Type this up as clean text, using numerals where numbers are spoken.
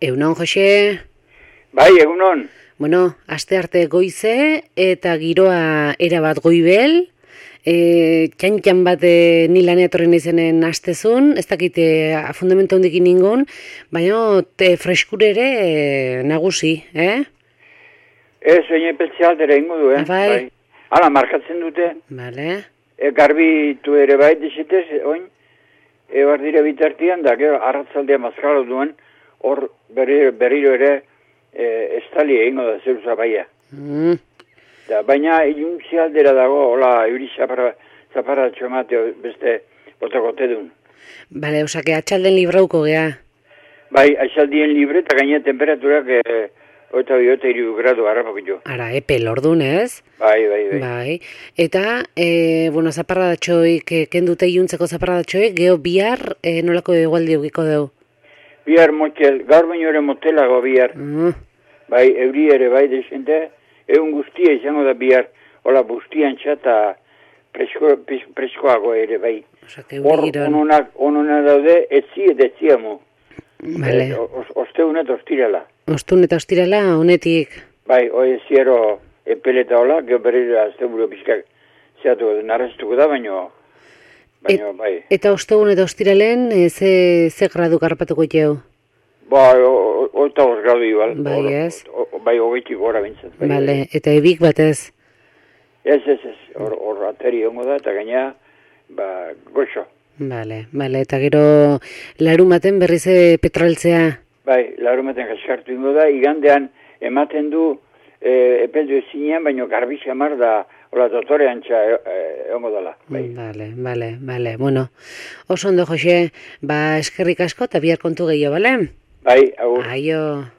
Egunon, Jose? Bai, egunon. Bueno, astearte goize eta giroa erabat goibel. Txan bat ni lanea etorri naizenen astezun, ez dakite fundamento hondikin ningun, baina freskure ere nagusi, Ez, oin epeltzealdera ingo du, Bai. Hala, markatzen dute. Bale. Garbitu ere bai, desetez, oin. Ebar dire bitartian, da, gero, arratzaldea mazkalo duen, hor berriro ere estali egingo da zeuza baia. Da, baina iluntzi aldera dago, hola, euri zaparatxo emate beste botakote duen. Bale, osake, atxalden librauko gea. Bai, atxaldien libre, eta gaina temperaturak 23 gradu harrapakitxo. Ara, epel ordun, ez? Bai. Bai. Eta, bueno, zaparradatxoik, kendute iluntzeko zaparradatxoik, geho bihar nolako egualdi eukiko dugu? Bihar motel, gaur baino ere motelago bihar. Bai, euri ere bai desente, egun guztia izango da bihar, hola, bustian txata preskoago ere bai. Hor, ononak daude, etzi eta etziamu. Vale. Osteun eta ostirala. Ostun eta ostirala, honetik. Bai, hoi ziero epeleta hola, geho berriro azte buru pizkak zeatu narraztuko da, baino bai. Eta ostegun eta ostiralen, ze gradu karpatuko jau? Ba, oita gradu igual. Bai, ez? Bai, hogeitik gora bintzat. Bai, Bale, eta ebik batez? Ez, hor ateri hongo da, eta gaina, goxo. Bale, eta gero larumaten berriz petroltzea? Bai, larumaten kaskartu ingo da, igandean ematen du epeldu ezinean, baino garbi xamar da, hola, dotore antxa hongo dela. Bale, bueno, oso ondo, Jose, eskerrik asko eta bihar kontu gehiago, bale? Bai, agur. Aio.